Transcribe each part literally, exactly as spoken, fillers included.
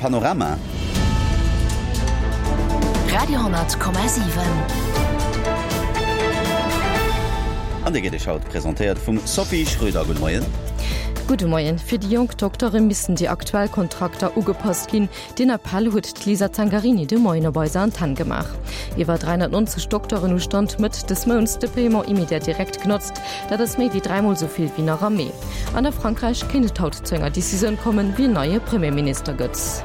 Panorama. Radio hundert Komma siwen. An dee gëtt Iech haut presentéiert vum Sophie Schröder. Gudde Moien. Gudde Moien. Fir déi jonk Doktere missten déi aktuell Kontrakter ugepasst ginn. Deen Appell huet d'Lisa Zangarini de Moien op eiser Antenn gemaach. Iwwer dräihonnertneunzeg Dokteren hu Stand Mëtt des Mounts de Paiement immédiat direct genotzt. Dat ass méi wéi dräimol esou vill wéi nach am Mee. An a Frankräich kéint et haut zu enger Decisioun kommen, wien neie Premierminister gëtt.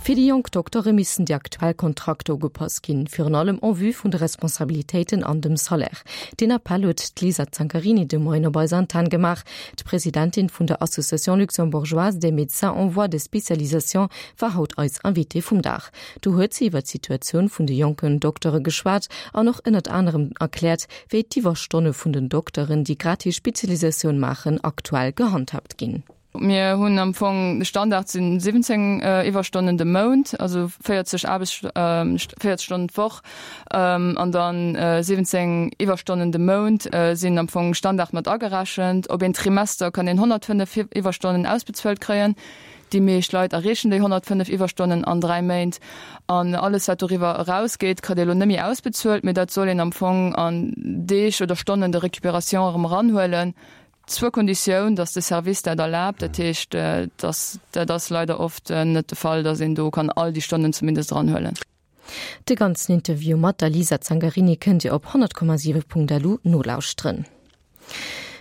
Fir déi jonk Doktere missten déi aktuell Kontrakter ugepasst ginn, virun allem en vue vun de Responsabilitéiten an dem Salaire. Deen Appell huet d'Lisa Zangarini de Moien op eiser Antenn gemaach. D'Presidentin vun der Association luxembourgeoise des médecins en voie de spécialisation war haut eis Invitée vum Dag. Do huet si iwwer d'Situatioun vun de jonken Doktere geschwat an och ënnert anerem erkläert, wéi d'Iwwerstonne vun den Dokteren, déi grad hir Spezialisatioun maachen, aktuell gehandhaabt ginn. Mir hunn am Fong de Standard sinn siwwenzéng Iwwerstonnen de Mount, also véierzeg Aarbechts véierzeg Stonnen d'Woch an dann siwwenzéng Iwwerstonnen de Mount sinn am Fong Standard mat agerechent. Op een Trimester kann een honnertfënnef Iwwerstonnen ausbezuelt kréien. Déi meescht Leit erreechen déi honnertfënnef Iwwerstonnen an dräi Méint. An alles wat doriwwer erausgeet, kritt ee lo net méi ausbezuelt, mee dat soll een am Fong an Deeg oder Stonnen de récupération erëm eranhuelen. Zur Konditioun, dass de Service dat erlaabt. Dat heescht, dass dat ass leider oft net de Fall, dass een do kann all déi Stonnen zumindest eranhuelen. De ganzen Interview mat der Lisa Zangarini kënnt Dir op honnert Komma siwe Punkt lu nolauschteren.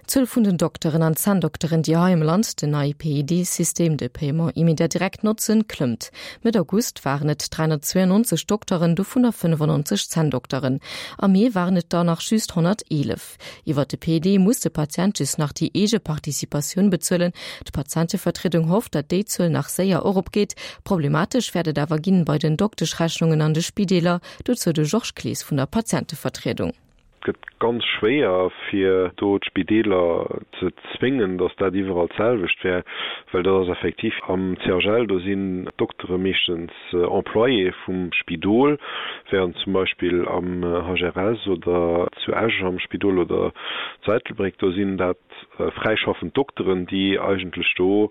D'Zuel vun den Dokteren an Zänndokteren, déi hei am Land den neie P I D-System, de Paiement immédiat direct, notzen, klëmmt. Mëtt August waren et dräihonnertzweiundneunzeg Dokteren, dovunner fënnefannonzeg Zänndokteren. Am Mee waren et der nach just honnerteelef. Iwwer de P I D muss de Patient just nach déi eege Participatioun bezuelen. D'Patientevertriedung hofft, datt déi Zuel nach séier eropgeet. Problematesch wäert et awer ginn bei den Dokteschrechnungen an de Spideeler. Dozou de Georges Clees vun der Patientevertriedung. Et gëtt ganz schwéier fir do d'Spideeler ze zwéngen, datt dat iwwerall d'selwecht wär, well dat ass effektiv am C H L, do sinn d'Doktere meeschtens Employé vum Spidol, während zum Beispill am H R S oder zu Esch am Spidol oder zu Ettelbréck, do sinn dat fräischaffend Dokteren, déi eigentlech do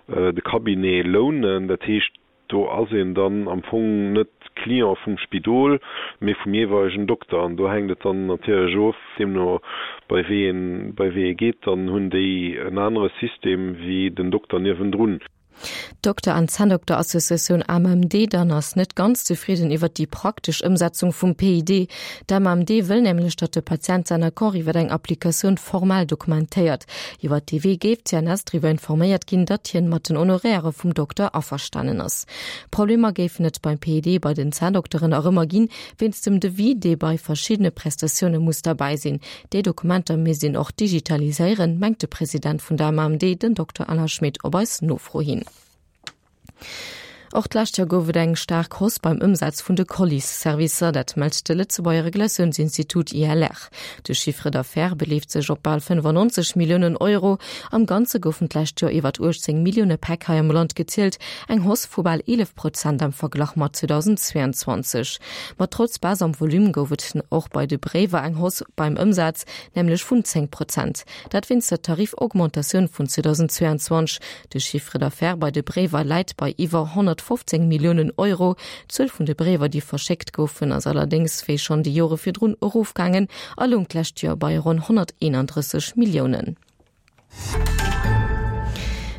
de Cabinet lounen. Dat heescht, do ass een dann am Fong net Client vum Spidol, mee vum jeeweilegen Dokter. An do hänkt et dann natierlech of, deemno bei wéi een, bei wéi ee geet, dann hunn déi en anere System wéi den Dokter niewendrun. D'Dokter an Zänndokterassociatioun A M M D dann ass net ganz zefridden iwwer déi praktesch Ëmsetzung vum P I D. D'A M M D wëll nämlech, datt de Patient säin Accord iwwer eng Applikatioun formell dokumentéiert. Iwwer dee Wee géif d'C N S driwwer informéiert ginn, datt hien mat den Honoraire vum Dokter averstanen ass. Problemer géifen et beim P I D bei den Zänndokteren nach ëmmer ginn, wéinst dem Devis, dee bei verschiddene Prestatioune muss derbäi sinn. Déi Dokumenter misst een och digitaliséieren, mengt de President vun der A M M D, den Dokter Alain Schmit, op eis Nofro hin. Och d'lescht Joer gouf et eng staark Hausse beim Ëmsaz vun de Colis-Servicer, dat mellt de Lëtzebuerger Regulatiounsinstitut I L R. De Chiffre d'affaires beleeft sech op bal fënnefannonzeg Milliounen Euro. Am Ganze goufen d'lescht Joer iwwer uechtzéng Millioune Päck hei am Land gezielt, eng Hausse vu bal eelef Prozent am Verglach mat zweedausendzweeanzwanzeg. Ma trotz Baisse am Volume gouf et och bei de Bréiwer eng Hausse beim Ëmsaz, nämlech vun zéng Prozent. Dat wéinst der Tarifaugmentatioun vun zweedausendzweeanzwanzeg. De Chiffre d'affaires bei de Bréiwer läit bei iwwer honnertfofzéng Milliounen Euro. D'Zuel vun de Bréiwer, déi verschéckt goufen, ass allerdéngs wéi schonn déi Jore virdrun erofgaangen a loung d'lescht Joer bei ronn honnerteenandrësseg Milliounen.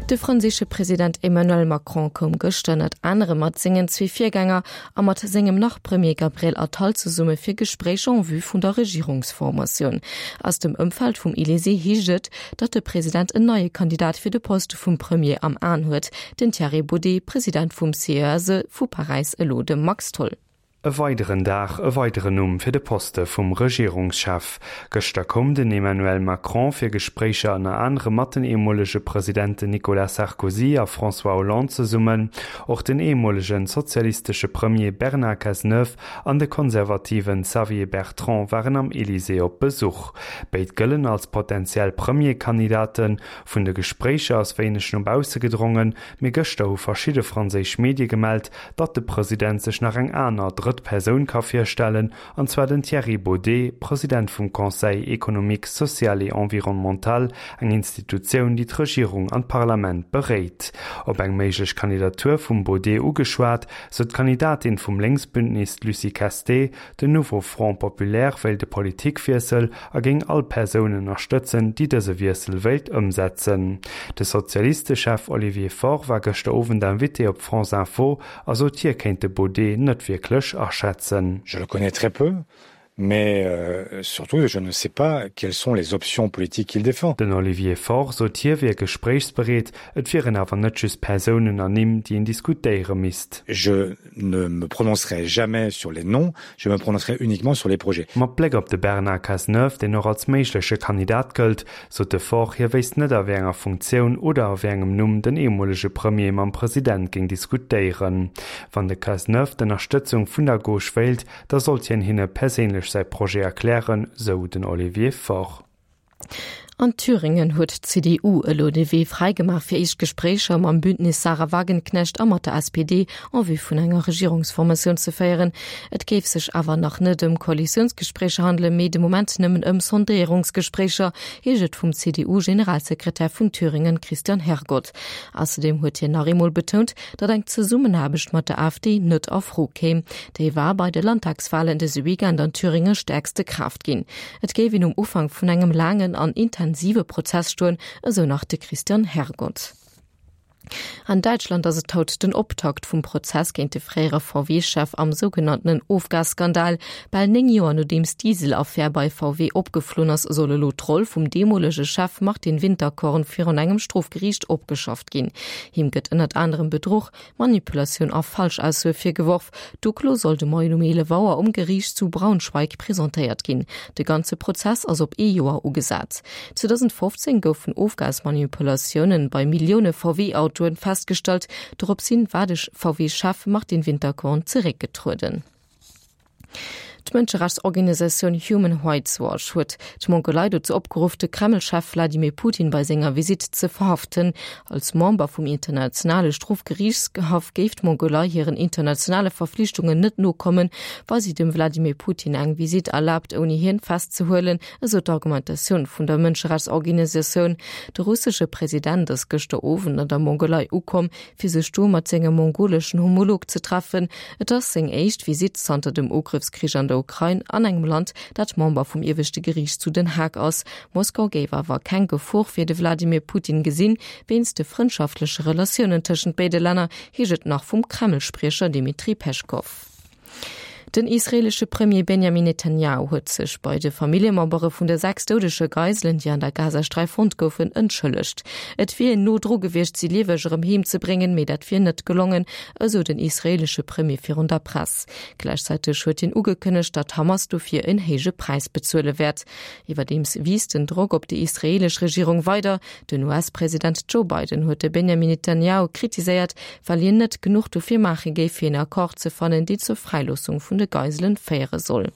De franséische President Emmanuel Macron koum gëschter ënnert anerem mat sengen zwee Virgänger a mat sengem Nach-Premier Gabriel Attal zesumme fir Gespréicher en vue vun der Regierungsformatioun. Aus dem Ëmfeld vum Elysée heescht et, datt de President en neie Kandidat fir de Poste vum Premier am Aen huet, den Thierry Baudet, President vum C E S E vu Paräis, elo de Max Tholl. E weideren Dag, e weideren Numm fir de Poste vum Regierungschef. Gëschter koum den Emmanuel Macron fir Gespréicher ënner anerem mat den ehemolege Presidenten Nicolas Sarkozy a François Hollande zesummen, och den ehemolegen sozialistesche Premier Bernard Cazeneuve an de konservativen Xavier Bertrand waren am Elysée op Besuch. Béid gëllen als potentiell Premierkandidaten. Vun de Gespréicher ass wéineg no bausse gedrongen, mee gëschter hu verschidde franséisch Medie gemellt, datt de President sech nach eng aner drëtt drëtt Persoun ka virstellen, an zwar den Thierry Beaudet, President vum Conseil économique, social et environnemental, eng Institutioun, déi d'Regierung an d'Parlament beréit. Op eng méiglech Kandidatur vum Beaudet ugeschwat, sot d'Kandidatin vum Lénksbündnis, d'Lucie Casté, den Nouveau Front Populaire wéilt e Politikwiessel a géing all Persoun ënnerstëtzen, déi dëse Wiessel wéilt ëmsetzen. De Sozialistechef Olivier Faure war gëschter Owend Invité op France Info a sot, hie kéint de Baudet net wierklech aschätzen. Je le connais très peu, mais surtout je ne sais pas quelles sont les options politiques qu'il défend. Den Olivier Faure sot, hie wier gespréichsbereet, et wieren awer net just Persounen an Nimm, déi een diskutéiere misst. Je ne me prononcerai jamais sur les noms, je me prononcerai uniquement sur les projets. Mat Bléck op de Bernard Cazeneuve, deen och als méigleche Kandidat gëllt, sot de Faure, hie wéisst net a wéi enger Funktioun oder a wéi engem Numm den ehemolege Premier mam President géing diskutéieren. Wann de Cazeneuve d'Ënnerstëtzung vun der Gauche wéilt, da sollt hien hinne perséinlech säi Projet erklären, sou den Olivier Faure. An Thüringen huet d'CDU elo de Wee fräigemaach fir éischt Gespréicher mam Bündnis Sahra Wagenknecht a mat der S P D en vue vun enger Regierungsformatioun ze féieren. Et géif sech awer nach net ëm Koalitiounsgespréicher handelen, mee de Moment nëmmen ëm Sondéierungsgespréicher, heescht et vum C D U-Generalsekretär vun Thüringen Christian Hergott. Ausserdeem huet hien nach eemol betount, datt eng Zesummenaarbecht mat der A F D net a Fro kéim. Déi war bei de Landtagswalen dëse Weekend an Thüringe stäerkste Kraaft ginn. Et géif een um Ufank vun engem laangen an intensive Prozess stoen, esou nach de Christian Hergott. An Däitschland ass et haut den Optakt vum Prozess géint de fréiere V W-Chef am sougenanntenen Ofgasskandal. Bal néng Joer nodeems d'Dieselaffär bei V W opgeflunn ass, soll elo d'Roll vum deemolege Chef Martin Winterkorn virun engem Strofgeriicht opgeschafft ginn. Him gëtt ënnert anerem Bedruch, Manipulatioun a Falschaussoe virgeworf. D'Uklo soll de Moien um eelef Auer um Geriicht zu Braunschweig presentéiert ginn. De ganze Prozess ass op ee Joer ugesat. zweedausendfofzéng goufen Ofgasmanipulatiounen bei Millioune V W-Autoen festgestallt, doropshin war de V W-Chef Martin Winterkorn zeréckgetrueden. D'Mënscherechtsorganisatioun Human Rights Watch huet d'Mongolei dozou opgeruff, de Kreml-Chef Wladimir Putin bei senger Visitt ze verhaften. Als Member vum internationale Strofgeriichtshaff géif d'Mongolei hiren internationale Verflichtungen net nokommen, wa si dem Wladimir Putin eng Visitt erlaabt, ouni hien festzehuelen, esou d'Argumentatioun vun der Mënscherechtsorganisatioun. De russesche President ass gëschter Owend an der Mongolei ukomm, fir sech do mat sengem mongoleschen Homolog ze treffen. Et ass seng éischt Visitt zanter dem Ugrëffskrich an der Ukrain an engem Land, dat Member vum Ieweschte Geriicht zu Den Haag ass. Moskau géif awer keng Gefor fir de Wladimir Putin gesinn, wéinst de frëndschaftleche Relatiounen tëschent béide Länner, heescht et nach vum Kreml-Spriecher Dmitri Peschkow. Den israeelesche Premier Benjamin Netanjahu huet sech bei de Familljemembere vun de sechs doudege Geiselen, déi an der Gazasträif fonnt goufen, entschëllegt. Et wier een no dru gewiescht, si lieweg erëm heem ze bréngen, mee dat wier net gelongen, esou den israeelesche Premier virun der Press. Gläichzäiteg huet hien ugekënnegt, datt d'Hamas dofir en héije Präis bezuele wäert. Iwwerdeems wiisst den Drock op déi israeelesch Regierung weider. Den U S-President Joe Biden huet de Benjamin Netanjahu kritiséiert, well hien net genuch dofir maache géif, fir en Accord ze fannen, deen zur Fräiloossung vun de Geiselen féiere soll.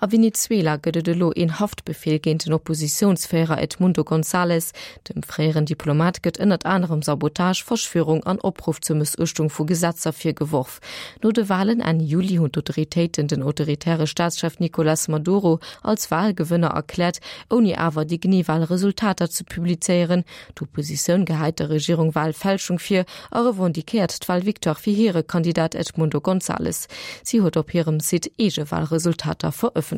A Venezuela gëtt et elo een Haftbefeel géint den Oppositiounsféierer Edmundo González. Dem fréieren Diplomat gëtt ënnert anerem Sabotage, Verschwörung an Opruff zur Mëssuechtung vu Gesetzer virgeworf. No de Walen Enn Juli hunn d'Autoritéiten den autoritäre Staatschef Nicolás Maduro als Walgewënner erkläert, ouni awer déi genee Walresultater ze publizéieren. D'Oppositioun gehäit der Regierung Walfälschung vir a revendiquéiert d'Walvictoire fir hire Kandidat Edmundo González. Si huet op hirem Site eege Walresultater verëffentlecht.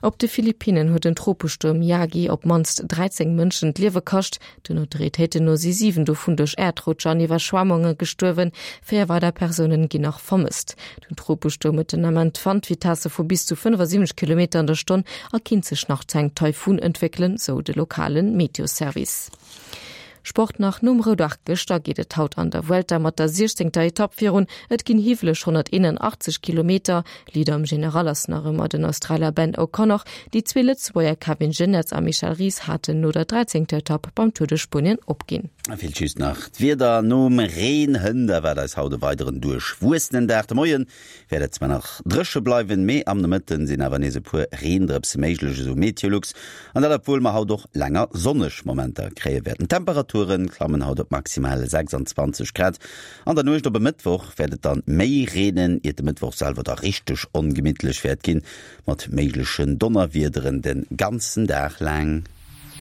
Op de Philippinnen huet den Tropestuerm Yagi op d'mannst dräizéng Mënschen d'Liewe kascht. Den Autoritéiten no si siwen dovun duerch Äerdrutscher an Iwwerschwemmunge gestuerwen. Véier weider Persounen ginn nach vermësst. Den Tropestuerm huet den Ament Wandvitesse vu bis zu fënnefasiwwenzeg Kilometer an der Stonn a kinnt sech nach zu engem Taifun entwéckelen, sou de lokale Meteoservice. Sport nach. Nom Roudag gëschter geet et haut an der Vuelta mat der siechzéngter Etapp virun. Et ginn hiwweleg honnerteenanachtzeg Kilometer. Leader am General ass nach ëmmer den Australier Ben O'Connor. Déi zwee Lëtzebuerger Kevin Geniets a Michel Ries haten no der dräizéngter Etapp beim Tour de Spuenien opginn. A villäicht just nach d'Wieder. Nom Reen hënt erwaart eis haut e weideren duerchwuessenen Dag. De Moien wäert et zwar nach dréche bleiwen, mee am Nomëtten sinn awer nees e puer Reendrëpse méiglech, esou Meteolux. An dat obwuel mer haut och länger sonneg Momenter kréie wäerten. D'Temperature D'Temperature klammen haut op maximal sechsundzwanzeg Grad. An der Nuecht op e Mëttwoch wäert et dann méi reenen, iert de Mëttwoch selwer da richteg ongemittlech wäert ginn, mat méiglechen Donnerwiederen de ganzen Dag laang.